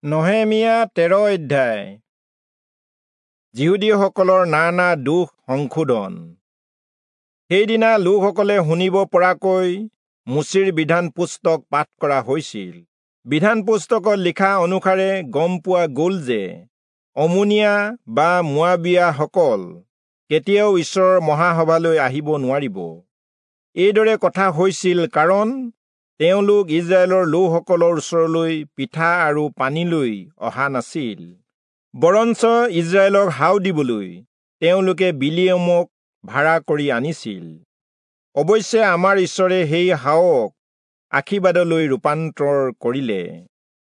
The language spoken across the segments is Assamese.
নহেমীয়া 13 অধ্যায়। যিহুদীসকলৰ নানা দোষ সংশোধন। সেইদিনা লোকসকলে শুনিব পৰাকৈ মোচিৰ বিধান পুস্তক পাঠ কৰা হৈছিল। বিধান পুস্তকত লিখা অনুসাৰে গম পোৱা গ'ল যে অমোনীয়া বা মোৱাবীয়াসকল কেতিয়াও ঈশ্বৰৰ মহাসভালৈ আহিব নোৱাৰিব। এইদৰে কথা হৈছিল কাৰণ তেওঁলোক ইজৰাইলৰ লোকসকলৰ ওচৰলৈ পিঠা আৰু পানীলৈ অহা নাছিল, বৰঞ্চ ইজৰাইলক হাও দিবলৈ তেওঁলোকে বিলিয়মক ভাড়া কৰি আনিছিল। অৱশ্যে আমাৰ ঈশ্বৰে সেই হাওক আশীৰ্বাদলৈ ৰূপান্তৰ কৰিলে।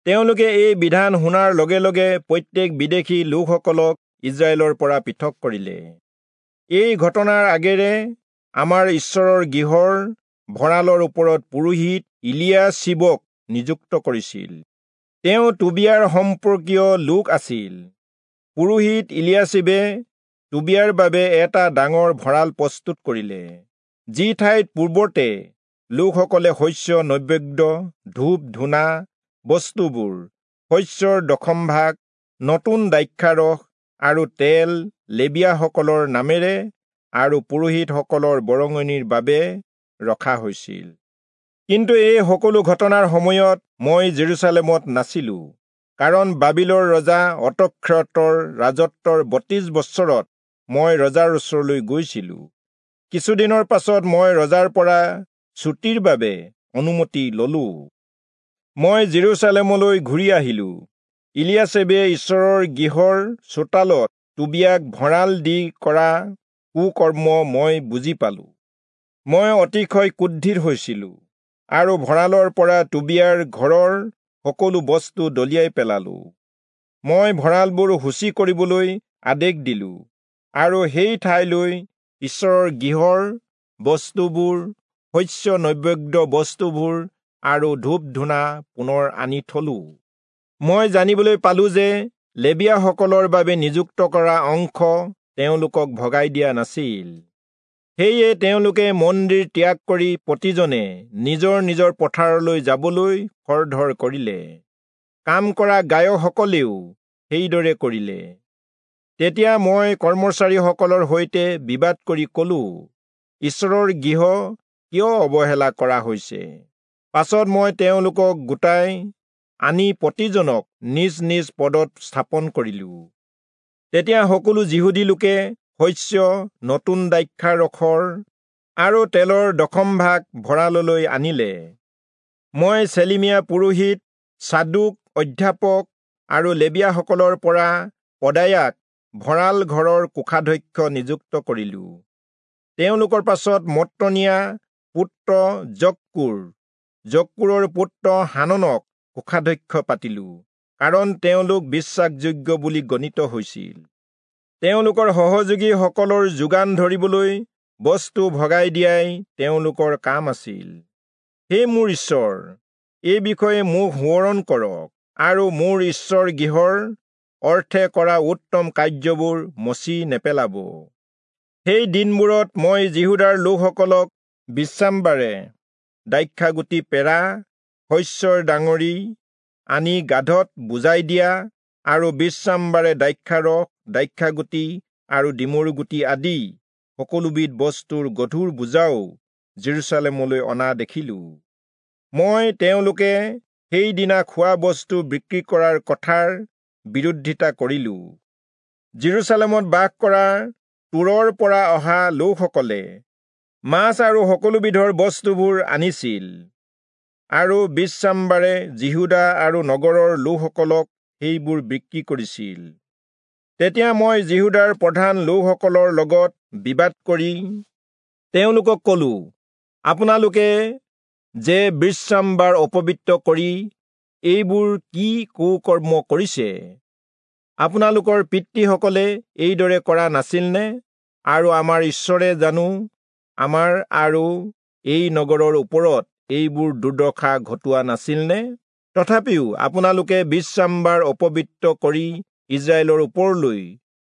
তেওঁলোকে এই বিধান শুনাৰ লগে লগে প্ৰত্যেক বিদেশী লোকসকলক ইজৰাইলৰ পৰা পৃথক কৰিলে। এই ঘটনাৰ আগেৰে আমাৰ ঈশ্বৰৰ গৃহৰ ভঁৰালৰ ওপৰত পুৰোহিত ইলিয়াশীবক নিযুক্ত কৰিছিল। তেওঁ টোবিয়াৰ সম্পৰ্কীয় লোক আছিল। পুৰোহিত ইলিয়াশীবে টোবিয়াৰ বাবে এটা ডাঙৰ ভঁৰাল প্ৰস্তুত কৰিলে, যি ঠাইত পূৰ্বতে লোকসকলে শস্য নৈবেদ্য, ধূপ ধূনা বস্তুবোৰ, শস্যৰ দশম ভাগ, নতুন দ্ৰাক্ষাৰস আৰু তেল লেবীয়াসকলৰ নামেৰে আৰু পুৰোহিতসকলৰ বৰঙণিৰ বাবে ৰখা হৈছিল। কিন্তু এই সকলো ঘটনাৰ সময়ত মই জেৰুচালেমত নাছিলো, কাৰণ বাবিলৰ ৰজা অতক্ষতৰ ৰাজত্বৰ 32 বছৰত মই ৰজাৰ ওচৰলৈ গৈছিলো। কিছুদিনৰ পাছত মই ৰজাৰ পৰা ছুটিৰ বাবে অনুমতি ললো। মই জেৰুচালেমলৈ ঘূৰি আহিলো। ইলিয়াশীবে ঈশ্বৰৰ গৃহৰ চোতালত টোবিয়াক ভঁৰাল দি কৰা কুকৰ্ম মই বুজি পালো। মই অতিশয় ক্ৰোধিত হৈছিলো আৰু ভঁৰালৰ পৰা টোবিয়াৰ ঘৰৰ সকলো বস্তু দলিয়াই পেলালো। মই ভঁৰালবোৰ সূচী কৰিবলৈ আদেশ দিলো আৰু সেই ঠাইলৈ ঈশ্বৰৰ গৃহৰ বস্তুবোৰ, শস্য নৈবেদ্য বস্তুবোৰ আৰু ধূপ ধূনা পুনৰ আনি থলো। মই জানিবলৈ পালো যে লেবীয়াসকলৰ বাবে নিযুক্ত কৰা অংশ তেওঁলোকক ভগাই দিয়া নাছিল। সেয়ে তেওঁলোকে মন্দিৰ ত্যাগ কৰি প্ৰতিজনে নিজৰ নিজৰ পথাৰলৈ যাবলৈ খৰধৰ কৰিলে। কাম কৰা গায়কসকলেও সেইদৰে কৰিলে। তেতিয়া মই কৰ্মচাৰীসকলৰ সৈতে বিবাদ কৰি কলো, ঈশ্বৰৰ গৃহ কিয় অৱহেলা কৰা হৈছে? পাছত মই তেওঁলোকক গোটাই আনি প্ৰতিজনক নিজ নিজ পদত স্থাপন কৰিলো। তেতিয়া সকলো যিহুদী লোকে শস্য, নতুন দ্ৰাক্ষাৰসৰ আৰু তেলৰ দশম ভাগ ভঁৰাললৈ আনিলে। মই চেলিমীয়া পুৰোহিত, চাদুক অধ্যাপক আৰু লেবীয়াসকলৰ পৰা পদায়াক ভঁৰাল ঘৰৰ কোষাধ্যক্ষ নিযুক্ত কৰিলো। তেওঁলোকৰ পাছত মত্তনিয়া পুত্ৰ জক্কুৰ, জক্কুৰৰ পুত্ৰ হাননক কোষাধ্যক্ষ পাতিলো, কাৰণ তেওঁলোক বিশ্বাসযোগ্য বুলি গণিত হৈছিল। তেওঁলোকৰ সহযোগীসকলৰ যোগান ধৰিবলৈ বস্তু ভগাই দিয়াই তেওঁলোকৰ কাম আছিল। হে মোৰ ঈশ্বৰ, এই বিষয়ে মোক সোঁৱৰণ কৰক আৰু মোৰ ঈশ্বৰ গৃহৰ অৰ্থে কৰা উত্তম কাৰ্যবোৰ মচি নেপেলাব। সেই দিনবোৰত মই যিহূদাৰ লোকসকলক বিশ্ৰামবাৰে দ্ৰাক্ষাগুটি পেৰা, শস্যৰ ডাঙৰি আনি গাধত বুজাই দিয়া আৰু বিশ্ৰামবাৰে দ্ৰাক্ষাৰস, দ্ৰাক্ষাগুটি আৰু ডিমৰুগুটি আদি সকলোবিধ বস্তুৰ গধুৰ বোজাও জেৰুচালেমলৈ অনা দেখিলো। মই তেওঁলোকে সেইদিনা খোৱা বস্তু বিক্ৰী কৰাৰ কথাৰ বিৰোধিতা কৰিলো। জেৰুচালেমত বাস কৰা তূৰৰ পৰা অহা লোকসকলে মাছ আৰু সকলোবিধৰ বস্তুবোৰ আনিছিল আৰু বিশ্ৰামবাৰে যিহূদা আৰু নগৰৰ লোকসকলক সেইবোৰ বিক্ৰী কৰিছিল। তেতিয়া মই যিহূদাৰ প্ৰধান লোকসকলৰ লগত বিবাদ কৰি তেওঁলোকক কলো, আপোনালোকে যে বিশ্ৰামবাৰ অপবিত্ৰ কৰি এইবোৰ কি কুকৰ্ম কৰিছে? আপোনালোকৰ পিতৃসকলে এইদৰে কৰা নাছিলনে? আৰু আমাৰ ঈশ্বৰে জানো আমাৰ আৰু এই নগৰৰ ওপৰত এইবোৰ দুৰ্দশা ঘটোৱা নাছিলনে? তথাপিও আপোনালোকে বিশ্ৰামবাৰ অপবিত্ৰ কৰি ইজৰাইলৰ ওপৰলৈ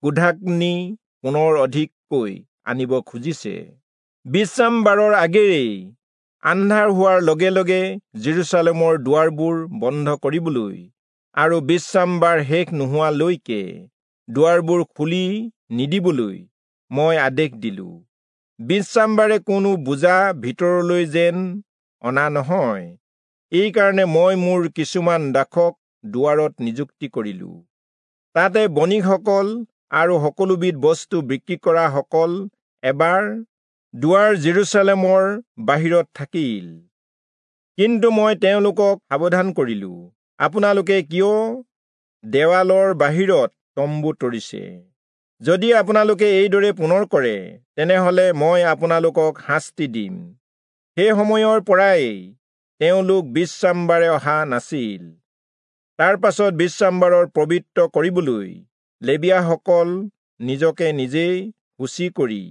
ক্ৰোধাগ্নি পুনৰ অধিককৈ আনিব খুজিছে। বিশ্ৰামবাৰৰ আগেৰেই আন্ধাৰ হোৱাৰ লগে লগে জেৰুচালেমৰ দুৱাৰবোৰ বন্ধ কৰিবলৈ আৰু বিশ্ৰামবাৰ শেষ নোহোৱালৈকে দুৱাৰবোৰ খুলি নিদিবলৈ মই আদেশ দিলোঁ। বিশ্ৰামবাৰে কোনো বোজা ভিতৰলৈ যেন অনা নহয়, এইকাৰণে মই মোৰ কিছুমান দাসক দুৱাৰত নিযুক্তি কৰিলোঁ। তাতে বণিকসকল আৰু সকলোবিধ বস্তু বিক্ৰী কৰাসকল এবাৰ দুৱাৰ জেৰুচালেমৰ বাহিৰত থাকিল। কিন্তু মই তেওঁলোকক সাৱধান কৰিলোঁ, আপোনালোকে কিয় দেৱালৰ বাহিৰত তম্বু তৰিছে? যদি আপোনালোকে এইদৰে পুনৰ কৰে, তেনেহলে মই আপোনালোকক শাস্তি দিম। সেই সময়ৰ পৰাই তেওঁলোক বিশ্ৰামবাৰে অহা নাছিল। তাৰ পাছত বিশ্ৰামবাৰৰ পবিত্ৰ কৰিবলৈ লেবীয়াসকল নিজকে নিজেই সূচী কৰি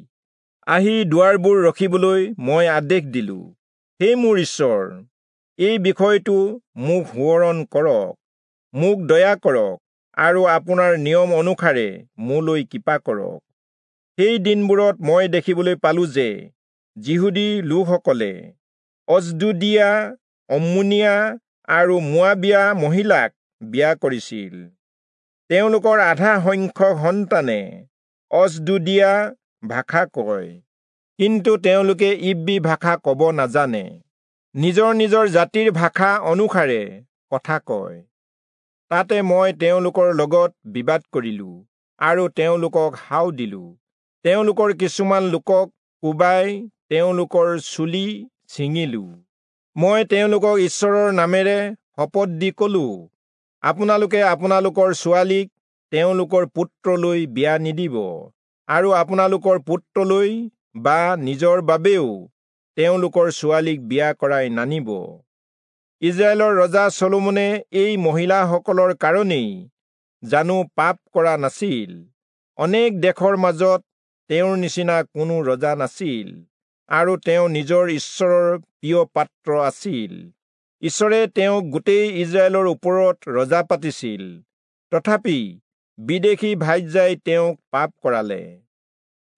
আহি দুৱাৰবোৰ ৰখিবলৈ মই আদেশ দিলোঁ। হে মোৰ ঈশ্বৰ, এই বিষয়টো মোক সোঁৱৰণ কৰক, মোক দয়া কৰক আৰু আপোনাৰ নিয়ম অনুসাৰে মোলৈ কৃপা কৰক। সেই দিনবোৰত মই দেখিবলৈ পালোঁ যে যিহুদী লোকসকলে অজ্দোদীয়া, অম্মোনীয়া আৰু মোৱাবীয়া মহিলাক বিয়া কৰিছিল। তেওঁলোকৰ আধা সংখ্যক সন্তানে অজ্দোদীয়া ভাষা কয়, কিন্তু তেওঁলোকে ইব্ৰী ভাষা ক'ব নাজানে, নিজৰ নিজৰ জাতিৰ ভাষা অনুসাৰে কথা কয়। তাতে মই তেওঁলোকৰ লগত বিবাদ কৰিলোঁ আৰু তেওঁলোকক হাও দিলোঁ। তেওঁলোকৰ কিছুমান লোকক কোবাই তেওঁলোকৰ চুলি ছিঙিলোঁ। মই তেওঁলোকক ঈশ্বৰৰ নামেৰে শপত দি ক'লোঁ, আপোনালোকে আপোনালোকৰ ছোৱালীক তেওঁলোকৰ পুত্ৰলৈ বিয়া নিদিব, আৰু আপোনালোকৰ পুত্ৰলৈ বা নিজৰ বাবেও তেওঁলোকৰ ছোৱালীক বিয়া কৰাই নানিব। ইজৰাইলৰ ৰজা চলোমনে এই মহিলাসকলৰ কাৰণেই জানো পাপ কৰা নাছিল? অনেক দেশৰ মাজত তেওঁৰ নিচিনা কোনো ৰজা নাছিল, আৰু তেওঁ নিজৰ ঈশ্বৰৰ প্ৰিয় পাত্ৰ আছিল। ঈশ্বৰে তেওঁক গোটেই ইজৰাইলৰ ওপৰত ৰজা পাতিছিল, তথাপি বিদেশী ভাৰ্যাই তেওঁক পাপ কৰালে।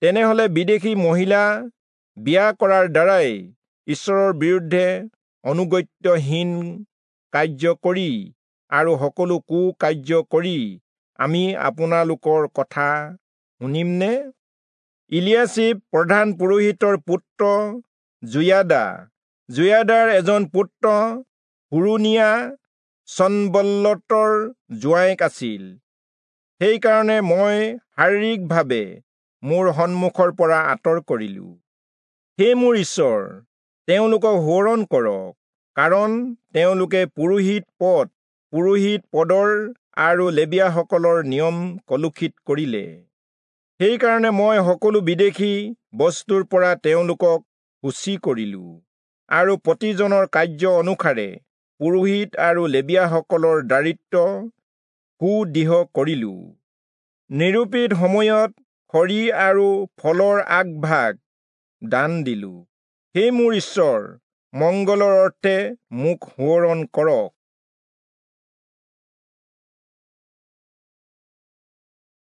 তেনেহলে বিদেশী মহিলা বিয়া কৰাৰ দ্বাৰাই ঈশ্বৰৰ বিৰুদ্ধে অনুগত্যহীন কাৰ্য কৰি আৰু সকলো কুকাৰ্য কৰি আমি আপোনালোকৰ কথা শুনিমনে? ইলিয়াছিব প্ৰধান পুৰোহিতৰ পুত্ৰ যোয়াদা, যোয়াদাৰ এজন পুত্ৰ হোৰোণীয়া চনবল্লতৰ জোঁৱায়েক আছিল। সেইকাৰণে মই শাৰীৰিকভাৱে মোৰ সন্মুখৰ পৰা আঁতৰ কৰিলোঁ। হে মোৰ ঈশ্বৰ, তেওঁলোকক সোঁৱৰণ কৰক, কাৰণ তেওঁলোকে পুৰোহিত পদৰ আৰু লেবীয়াসকলৰ নিয়ম কলুষিত কৰিলে। সেইকাৰণে মই সকলো বিদেশী বস্তুৰ পৰা তেওঁলোকক সূচী কৰিলোঁ, আৰু প্ৰতিজনৰ কাৰ্য অনুসাৰে পুৰোহিত আৰু লেবীয়াসকলৰ দায়িত্ব সুদৃঢ় কৰিলোঁ। নিৰূপিত সময়ত খৰি আৰু ফলৰ আগভাগ দান দিলোঁ। হে মোৰ ঈশ্বৰ, মংগলৰ অৰ্থে মোক সোঁৱৰণ কৰক।